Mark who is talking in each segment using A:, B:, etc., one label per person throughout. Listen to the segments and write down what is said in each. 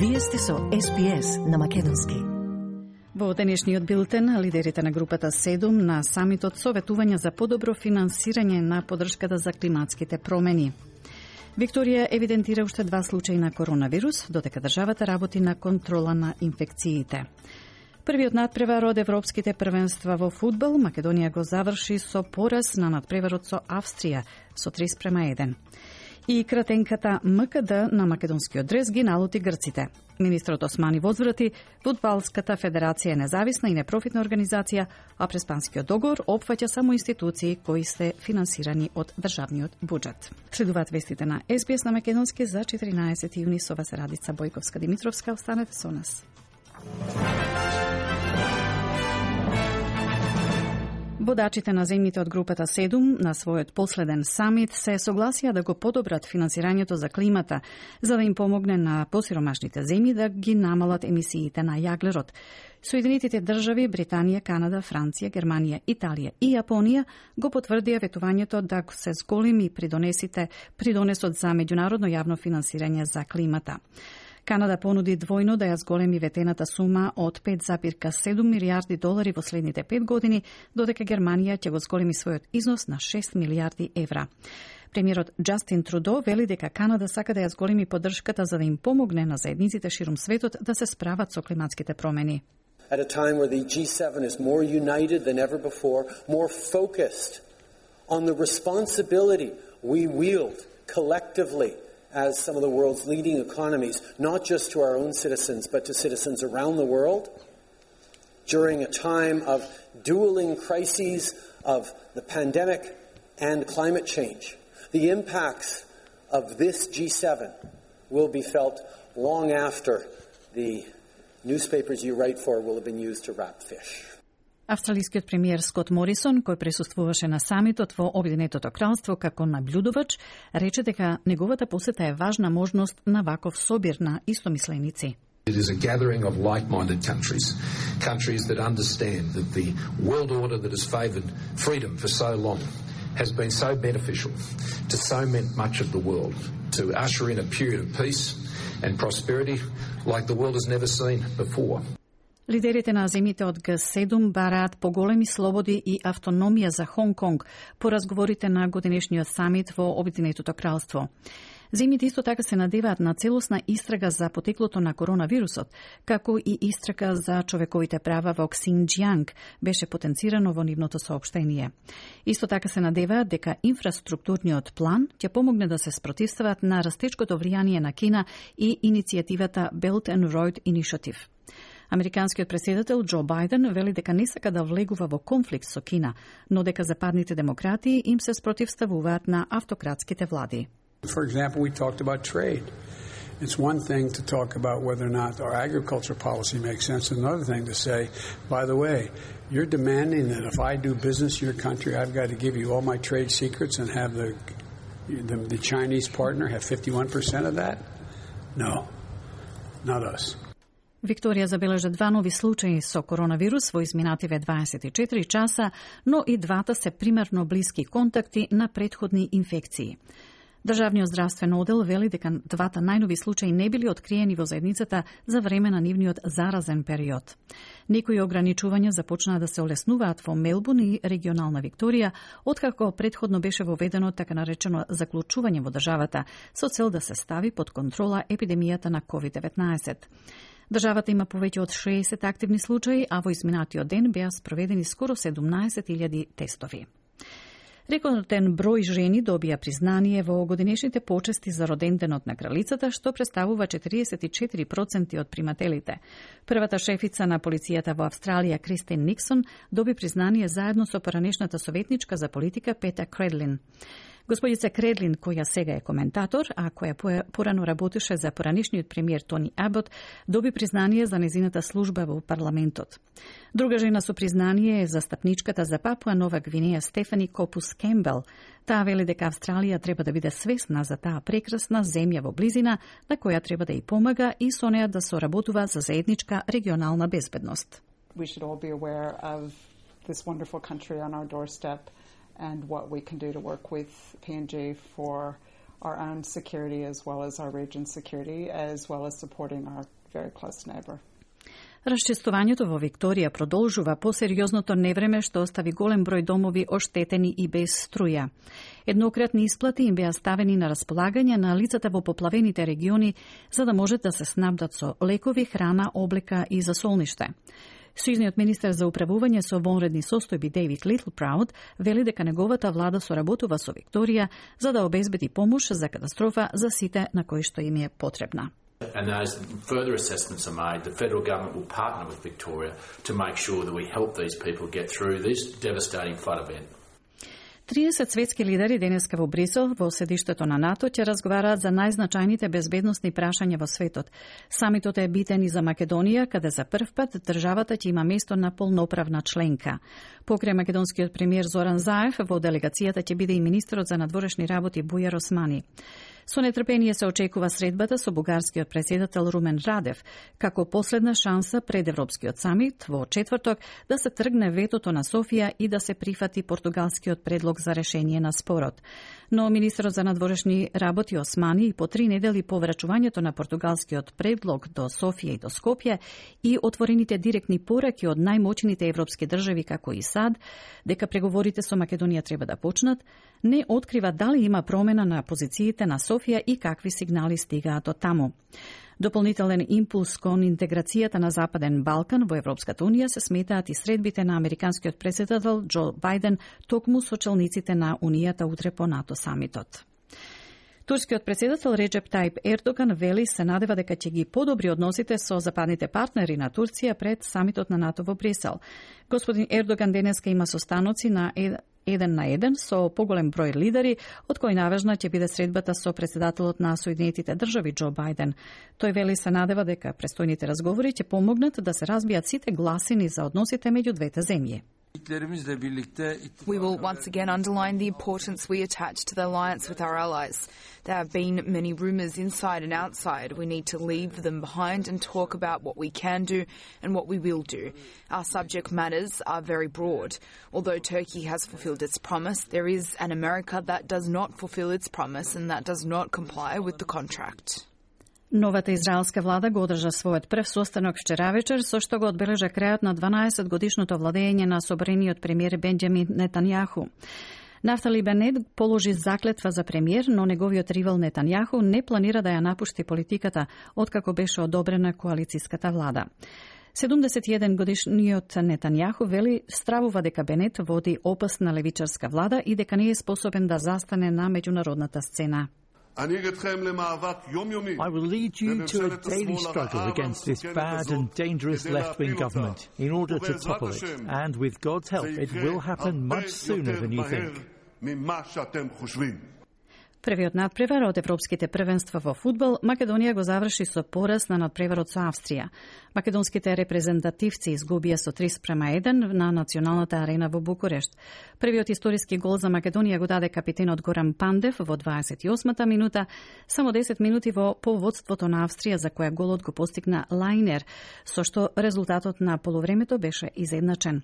A: Вие сте со SBS на македонски.
B: Во денешниот билтен, лидерите на групата 7 на самитот советување за подобро финансирање на поддршката за климатските промени. Викторија евидентира уште 2 случаи на коронавирус, додека државата работи на контрола на инфекциите. Првиот надпревар од европските првенства во фудбал, Македонија го заврши со пораз на надпреварот со Австрија со 3:1. И кратенката МКД на македонскиот дрес ги налути грците. Министрот Османи возврати, Фудбалската федерација е независна и непрофитна организација, а преспанскиот договор опфаќа само институции кои се финансирани од државниот буџет. Следуваат вестите на SBS на македонски за 14 јуни со вас Радица Бојковска-Димитровска. Останете со нас. Водачите на земјите од групата 7 на својот последен самит се согласија да го подобрат финансирањето за климата, за да им помогне на посиромашните земји да ги намалат емисиите на јаглерод. Соединетите држави, Британија, Канада, Франција, Германија, Италија и Јапонија го потврдија ветувањето да се зголеми придонесот за меѓународно јавно финансирање за климата. Канада понуди двојно да ја зголеми ветената сума од 5,7 милијарди долари во следните 5 години, додека Германија ќе го зголеми својот износ на 6 милијарди евра. Премиерот Џастин Трудо вели дека Канада сака да ја зголеми поддршката за да им помогне на заедниците ширум светот да се справат со климатските промени.
C: At a time where the G7 is more united than ever before, more focused on the responsibility we wield collectively as some of the world's leading economies, not just to our own citizens, but to citizens around the world, during a time of dueling crises of the pandemic and climate change. The impacts of this G7 will be felt long after the newspapers you write for will have been used to wrap fish.
B: Австралискиот премиер Скот Морисон, кој присуствуваше на самитот во Обединетото кралство како наблюдувач, рече дека неговата посета е важна можност на ваков собир на истомисленици.
D: It is a gathering of like-minded countries that understand that the world order that has favoured freedom for so long has been so beneficial to so much of the world, to usher in a period of peace and prosperity like the world has never seen before.
B: Лидерите на земјите од Г7 бараат поголеми слободи и автономија за Хонг Конг по разговорите на годинешниот самит во Обединетото кралство. Земјите исто така се надеваат на целосна истрага за потеклото на коронавирусот, како и истрага за човековите права во Ксинџјанг, беше потенцирано во нивното соопштение. Исто така се надеваат дека инфраструктурниот план ќе помогне да се спротивстават на растечкото влијание на Кина и иницијативата Belt and Road Initiative. Американскиот претседател Џо Бајден вели дека не сака да влегува во конфликт со Кина, но дека западните демократи им се спротивставуваат на автократските влади.
E: For example, we talked about trade. It's one thing to talk about whether or not our agriculture policy makes sense, and another thing to say, by the way, you're demanding that if I do business in your country, I've got to give you all my trade secrets and have the Chinese partner have 51% of that? No, not us.
B: Викторија забележа 2 нови случаи со коронавирус во изминативе 24 часа, но и двата се примерно блиски контакти на претходни инфекции. Државниот здравствен одел вели дека двата најнови случаи не били откриени во заедницата за време на нивниот заразен период. Некои ограничувања започнаа да се олеснуваат во Мелбурн и регионална Викторија, откако претходно беше воведено така наречено заклучување во државата со цел да се стави под контрола епидемијата на COVID-19. Државата има повеќе од 60 активни случаи, а во изминатиот ден беа спроведени скоро 17.000 тестови. Рекорден број жени добија признание во годинешните почести за роденденот на кралицата, што представува 44% од примателите. Првата шефица на полицијата во Австралија, Кристин Никсон, доби признание заедно со поранешната советничка за политика Пета Кредлин. Господица Кредлин, која сега е коментатор, а која порано работеше за поранешниот премиер Тони Абот, доби признание за незината служба во парламентот. Друга жена со признание е застапничката за Папуа Нова Гвинеја Стефани Копус Кембел. Таа вели дека Австралија треба да биде свесна за таа прекрасна земја во близина, на која треба да ја помага и со неа да соработува за заедничка регионална безбедност.
F: We should all be aware of this wonderful country on our doorstep and what we can do to work with PNG for our own security as well as our region's security, as well as supporting our very close neighbour.
B: Расчистувањето во Викторија продолжува по сериозното невреме што остави голем број домови оштетени и без струја. Еднократни исплати им беа ставени на располагање на лицата во поплавените региони за да можат да се снабдат со лекови, храна, облека и засолниште. Сојузниот министер за управување со вонредни состојби Дейвид Литлпрауд вели дека неговата влада соработува со Викторија за да обезбеди помош за катастрофа за сите на кои што им е потребна.
G: And as further assessments are made, the federal government will partner with Victoria to make sure that we help these people get through this devastating flood event.
B: 30 светски лидери денеска во Брисел, во седиштето на НАТО, ќе разговараат за најзначајните безбедносни прашања во светот. Самитот е битен и за Македонија, каде за прв пат државата ќе има место на полноправна членка. Покрај македонскиот премиер Зоран Заев, во делегацијата ќе биде и министерот за надворешни работи Бујар Османи. Со нетрпение се очекува средбата со бугарскиот претседател Румен Радев, како последна шанса пред Европскиот самит во четврток да се тргне ветото на Софија и да се прифати португалскиот предлог за решение на спорот. Но министерот за надворешни работи Османи и по 3 недели по врачувањето на португалскиот предлог до Софија и до Скопје и отворените директни пораки од најмоćните европски држави како и САД, дека преговорите со Македонија треба да почнат, не открива дали има промена на позициите на Софија и какви сигнали стигаат од таму. Дополнителен импулс кон интеграцијата на Западен Балкан во Европската Унија се сметаат и средбите на американскиот претседател Џо Бајден токму со челниците на Унијата утре по НАТО самитот. Турскиот претседател Реджеп Тајип Ердоган вели се надева дека ќе ги подобри односите со западните партнери на Турција пред самитот на НАТО во Брисел. Господин Ердоган денеска има состаноци на 1 на 1 со поголем број лидери, од кој наважна ќе биде средбата со претседателот на Соединетите држави Џо Бајден. Тој вели се надева дека престојните разговори ќе помогнат да се разбијат сите гласини за односите меѓу двете земји.
H: We will once again underline the importance we attach to the alliance with our allies. There have been many rumours inside and outside. We need to leave them behind and talk about what we can do and what we will do. Our subject matters are very broad. Although Turkey has fulfilled its promise, there is an America that does not fulfill its promise and that does not comply with the contract.
B: Новата израелска влада го одржа својот прв состанок вчера вечер, со што го одбележа крајот на 12-годишното владење на собрениот премиер Бенџамин Нетањаху. Нафтали Бенет положи заклетва за премиер, но неговиот ривал Нетањаху не планира да ја напушти политиката, откако беше одобрена коалицијската влада. 71 годишниот Нетањаху вели стравува дека Бенет води опасна левичарска влада и дека не е способен да застане на меѓународната сцена.
I: I will lead you to a daily struggle against this bad and dangerous left-wing government in order to topple it. And with God's help, it will happen much sooner than you think.
B: Првиот надпревар од европските првенства во фудбал, Македонија го заврши со пораз на надпреварот со Австрија. Македонските репрезентативци изгубија со 3:1 на националната арена во Букурешт. Првиот историски гол за Македонија го даде капитенот Горан Пандев во 28-та минута, само 10 минути во поводството на Австрија, за која голот го постигна Лајнер, со што резултатот на полувремето беше изедначен.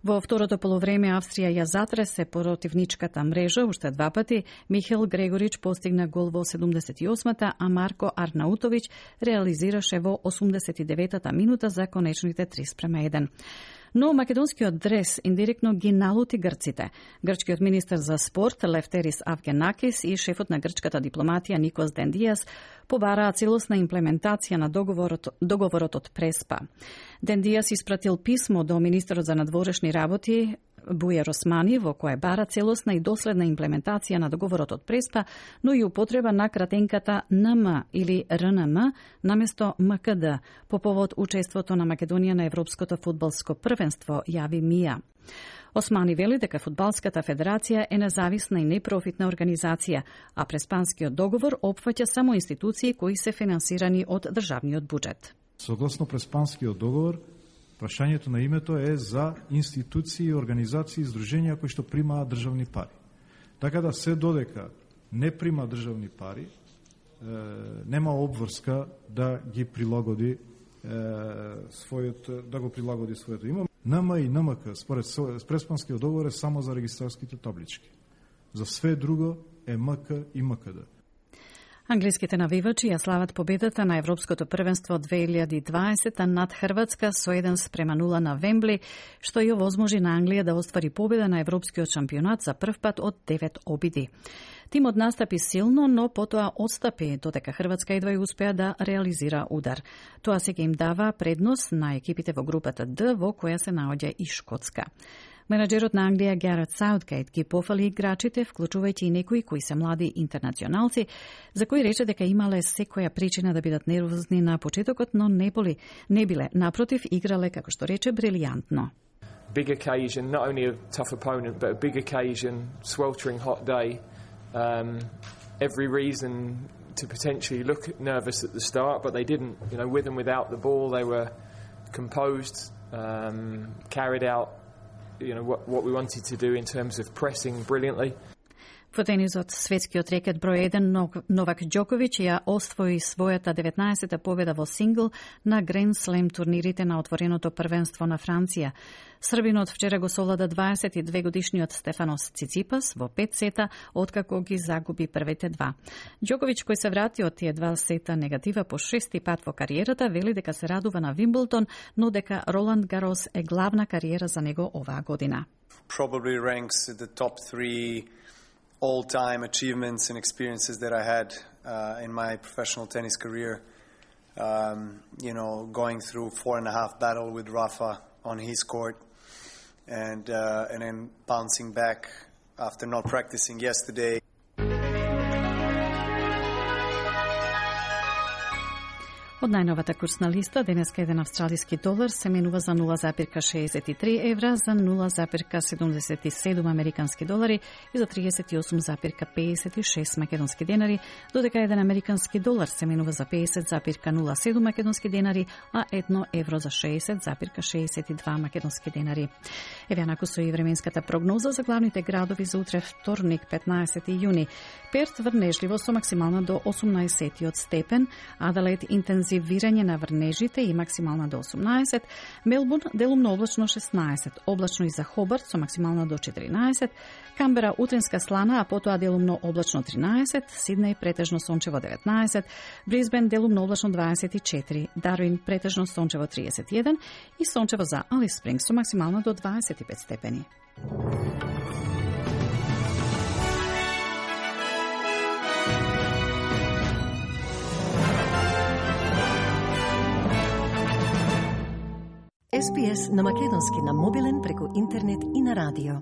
B: Во второто полувреме Австрија ја затресе противничката мрежа уште два пати. Михел Грегорич постигна гол во 78-та, а Марко Арнаутовиќ реализираше во 89-та минута за конечните 3:1. Но македонскиот дрес индиректно ги налути грците. Грчкиот министер за спорт Лефтерис Авгенакис и шефот на грчката дипломатија Никос Дендијас побараа целосна имплементација на договорот од Преспа. Дендијас испратил писмо до министерот за надворешни работи Бујар Османи, во кое бара целосна и доследна имплементација на договорот од Преспа, но и употреба на кратенката НМ или РНМ наместо МКД по повод учеството на Македонија на Европското фудбалско првенство, јави МИА. Османи вели дека Фудбалската федерација е независна и непрофитна организација, а Преспанскиот договор опфаќа само институции кои се финансирани од државниот буџет.
J: Согласно Преспанскиот договор, прашањето на името е за институции, организации и здруженија кои што примаат државни пари. Така да се додека не прима државни пари, нема обврска да ги прилагоди своето име. НМ и НМК според Преспанскиот договор е само за регистарските таблички. За све друго е МК и МКД.
B: Англиските навивачи ја слават победата на Европското првенство 2020 над Хрватска со 1-0 на Вембли, што ја овозможи на Англија да оствари победа на Европскиот шампионат за прв пат од 9 обиди. Тимот настапи силно, но потоа отстапи, додека Хрватска едва ја успеа да реализира удар. Тоа сега им дава предност на екипите во групата Д, во која се наоѓа и Шкотска. Менаџерот на Англија Гарет Саутгейт ги пофали играчите, вклучувајќи и некои кои се млади интернационалци, за кои рече дека имале секоја причина да бидат нервозни на почетокот, но не биле. Напротив, играле, како што рече, брилијантно.
K: Big occasion, not only a tough opponent, but a big occasion, sweltering hot day. Every reason to potentially look nervous at the start, but they didn't. You know, with and without the ball, they were composed, carried out what we wanted to do in terms of pressing brilliantly.
B: Во тенисот, светскиот рекет број 1 Новак Џоковиќ ја освои својата 19-та победа во сингл на Гранд Слем турнирите на отвореното првенство на Франција. Србинот вчера го совлада 22-годишниот Стефанос Циципас во 5 сета, откако ги загуби првите два. Џоковиќ, кој се врати од тие 2 сета негатива по 6-ти пат во кариерата, вели дека се радува на Вимблтон, но дека Роланд Гарос е главна кариера за него оваа година.
L: Probably ranks at the top 3 all-time achievements and experiences that I had in my professional tennis career. Going through 4.5 battle with Rafa on his court, and then bouncing back after not practicing yesterday.
B: Од најновата курсна листа, денеска еден австралиски долар се менува за 0,63 евра, за 0,77 американски долари и за 38,56 македонски денари, додека еден американски долар се менува за 50,07 македонски денари, а 1 евро за 60,62 македонски денари. Еве наку со и временската прогноза за главните градови за утре вторник, 15 јуни. Перт врнежливо со максимална до 18 степен, Аделаид интензивирање на врнежите и максимална до 18, Мелбурн делумно облачно 16, облачно и за Хобарт со максимална до 14, Камбера утренска слана, а потоа делумно облачно 13, Сиднеј претежно сончево 19, Брисбен делумно облачно 24, Дарвин претежно сончево 31 и сончево за Алис Спрингс со максимална до 25 степени.
A: SPS на македонски на мобилен преку интернет и на радио.